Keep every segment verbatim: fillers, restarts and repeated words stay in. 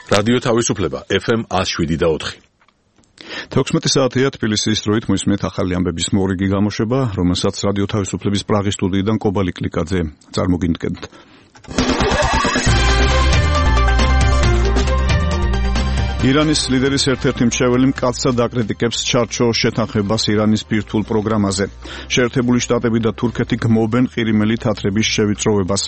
რადიო თავისუფლება ეფ ემ ათს შვიდი და ოთხი. თექვსმეტი საათია თბილისის დროით მოისმენთ ახალი ამბების მორიგი გამოშვება, რომელსაც რადიო თავისუფლების პრაღის სტუდიიდან კობალი კლიკაძე წარმოგიდგენთ. ირანის ლიდერის ერთ-ერთი მრჩეველი მკაცრად აკრიტიკებს ჩარჩო შეთანხმებას ირანის ბირთვულ პროგრამაზე. შეერთებული შტატები და თურქეთი გმობენ ყირიმელი თათრების შევიწროვებას.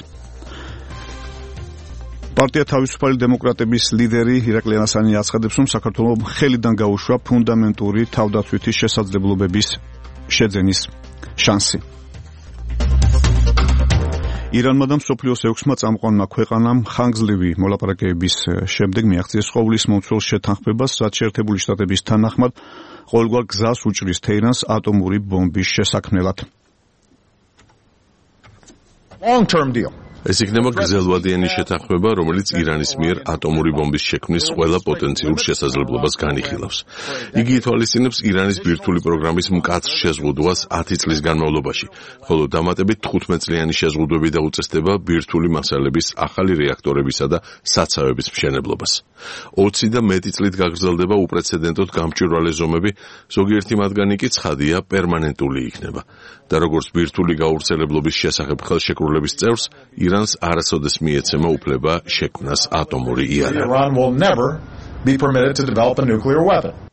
პარტია თავისუფალი დემოკრატების ლიდერი ირაკლი ანასანი აცხადებს, რომ საქართველოს ხელიდან გაუშვა ფუნდამენტური თავდაცვითი შესაძლებლობების შეძენის შანსი. ირანმა და მსოფლიოს ექვსმა წამყვანმა ქვეყანამ ხანგრძლივი მოლაპარაკებების შემდეგ მიაღწიეს ყოვლის მომცველ შეთანხმებას, რაც შეერთებული შტატების თანახმად ყოველგვარ გზას უჭრის თეირანს ატომური ბომბის შესაქმნელად. Long-term deal. ეს იქნება გრძელვადიანი შეთანხმება, რომელიც ირანის მიერ ატომური ბომბის შექმნის ყველა პოტენციურ შესაძლებლობას განიხილავს. იგი ითვალისწინებს ირანის ბირთვული პროგრამის მკაცრ შეზღუდვას ათი წლის განმავლობაში, ხოლო დამატებით თხუთმეტ-წლიანი შეზღუდვები და უწესდება ბირთვული მასალების ახალი რეაქტორებისა და საცავების მშენებლობას. ოცი და მეტი წლით გაგრძელდება უპრეცედენტოდ გამჭვირვალე ზომები, ზოგიერთი მათგანი კი ცხადია პერმანენტული იქნება. და როგორც ბირთვული გავრცელებლობის შესახებ ხელშეკრულების წევრს, ირანს არასოდეს მიეცემა უფლება შექმნას ატომური იარაღი. Iran will never be permitted to develop a nuclear weapon.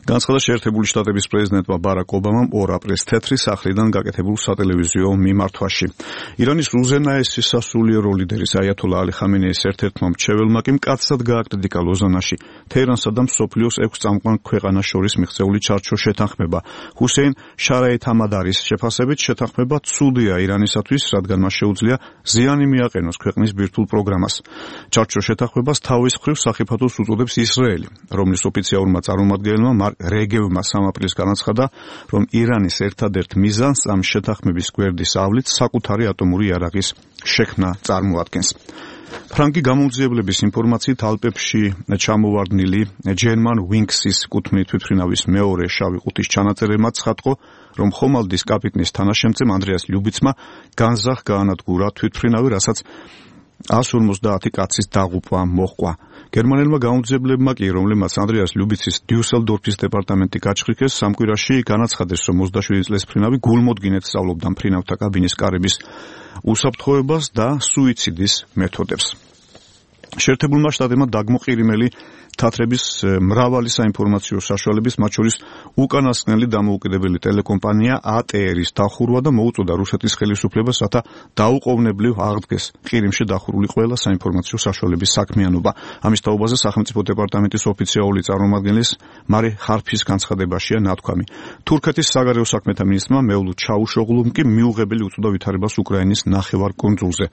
განცხადა შეერთებული შტატების პრეზიდენტმა ბარაკ ობამამ ორ აპრილს თეთრი სახლიდან გაკეთებულ სატელევიზიო მიმართვაში. ირანის უზენაესი სასულიერო ლიდერის აიათოლა ალი ხამენეის ერთ-ერთმა მრჩეველმა კი მკაცრად გააკრიტიკა ლოზანაში თეირანსა და მსოფლიოს ექვს წამყვან ქვეყანას შორის მიღწეული ჩარჩო შეთანხმება. ჰუსეინ შარაით ამადარის შეფასებით შეთანხმება ცუდია ირანისათვის, რადგან მას შეუძლია ზიანი მიაყენოს ქვეყნის ბირთვულ პროგრამას. ჩარჩო შეთანხმებას თავის მხრივ სახიფათოს უწოდებს ისრაელი, რომლის ოფიციალურმა წარმომადგენელმა რეგევმა სამ აპრილს განაცხადა, რომ ირანის ერთადერთ მიზანს ამ შეთანხმების გვერდის ავლით საკუთარი ატომური იარაღის შექმნა წარმოადგენს. ფრანკი გამომძიებლების ინფორმაციით ალპებში ჩამოვარდნილი German Wings-ის კუთვნილი თვითმფრინავის მეორე შავი ყუთის ჩანაწერებმა ცხადყო, რომ ხომალდის კაპიტნის თანაშემწემ ანდრეას ლიუბიცმა განზრახ გაანადგურა თვითმფრინავი, რასაც εκατს ორმოცდაათი კაცის დაღუპვა მოჰყვა. გერმანელმა გამომძიებლებმა კი, რომლებმაც ანდრეას ლიუბიცის დიუსელდორფის დეპარტამენტი გაჩხრიქეს, სამ კვირაში განაცხადეს, რომ ოცდაშვიდი წლის მფრინავი გულმოდგინედ სწავლობდა მფრინავთა კაბინის კარების უსაფრთხოებას და სუიციდის მეთოდებს. შეერთებულმა შტატებმა დაგმოყირიმელი თათრების მრავალი საინფორმაციო საშუალების, მათ შორის უკანასკნელი დამოუკიდებელი ტელეკომპანია ა ტე ერის დახურვა და მოუწოდა რუსეთის ხელისუფლებას, რათა დაუყოვნებლივ აღდგეს ყირიმში დახურული ყველა საინფორმაციო საშუალების საქმიანობა. ამის თაობაზე სახელმწიფო დეპარტამენტის ოფიციალური წარმომადგენლის მარი ხარფის განცხადებაშია ნათქვამი. თურქეთის საგარეო საქმეთა მინისტრმა მევლუდ ჩაუშოღლუმ კი მიუღებელი უწოდა ვითარებას უკრაინის ნახევარკუნძულზე.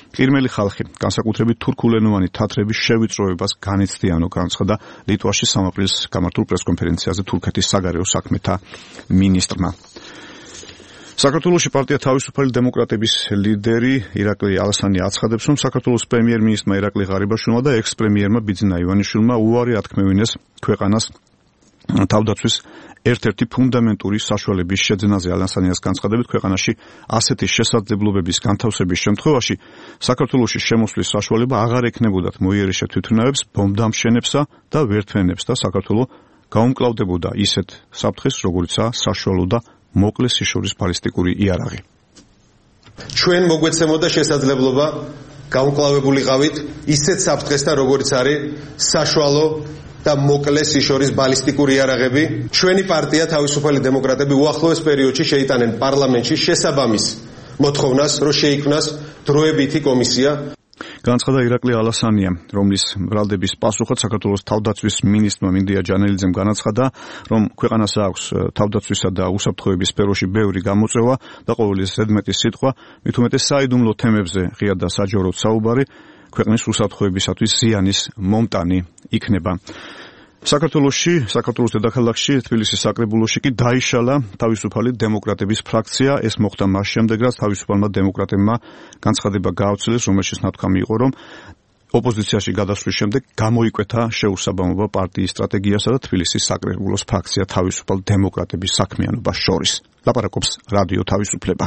ყირიმელი ხალხი, განსაკუთრებით თურქულენოვანი თათრების შევიწროებას განიცდიანო განცხადა ლიტვაში სამ აპრილს გამართულ პრესკონფერენციაზე თურქეთის საგარეო საქმეთა მინისტრმა. საქართველოში პარტია თავისუფალი დემოკრატების ლიდერი ირაკლი ალასანი აცხადებს, რომ საქართველოს პრემიერ-მინისტრმა ირაკლი ღარიბაშვილმა და ექს-პრემიერმა ბიძინა ივანიშვილმა უარი ათქმევინეს ქვეყანას თავდაცვის ერთ-ერთი ფუნდამენტური საშუალების შეძენაზე. ალასანიას განცხადებით, ქვეყანაში ასეთი შესაძლებლობების განთავსების შემთხვევაში საქართველოში შემოსვლის საშუალება აღარ ექნებოდათ მოიერიშე თვითმფრინავებს, ბომბდამშენებსა და ვერთვენებს და საქართველო გაუმკლავდებოდა ისეთ საფრთხეს, როგორიცაა საშუალო და მოკლე სიშორის ბალისტიკური იარაღი. ჩვენ მოგვეცემოდა შესაძლებლობა გაუმკლავებულიყავით ისეთ საფრთხესთან, როგორც არის საშუალო და მოკლე სიშორის ბალისტიკური იარაღები. ჩვენი პარტია თავისუფალი დემოკრატები უახლოეს პერიოდში შეიტანენ პარლამენტში შესაბამის მოთხოვნას, რომ შეიქმნას დროებითი კომისია. განაცხადა ირაკლი ალასანია, რომლის ბრალდების პასუხად საქართველოს თავდაცვის მინისტრმა მინდია ჯანელიძემ განაცხადა, რომ ქვეყანას აქვს თავდაცვისა და უსაფრთხოების სფეროში ბევრი გამოწვევა და ყოველი ზედმეტი სიტყვა, მით უმეტეს საიდუმლო თემებზე ღია და საჯაროდ საუბარი ქვეყნის უსაფრთხოებისათვის ზიანის მომტანი იქნება. საქართველოში, საქართველოს დედაქალაქში, თბილისის საკრებულოში კი დაიშალა თავისუფალი დემოკრატების ფრაქცია. ეს მოხდა მას შემდეგ, რაც თავისუფალმა დემოკრატებმა განცხადება გაავრცელეს, რომელშიც ნათქვამი იყო, რომ ოპოზიციაში გადასვლის შემდეგ გამოიკვეთა შეუსაბამობა პარტიის სტრატეგიასა და თბილისის საკრებულოს ფრაქცია თავისუფალ დემოკრატების საქმიანობას შორის. ლაპარაკობს რადიო თავისუფლება.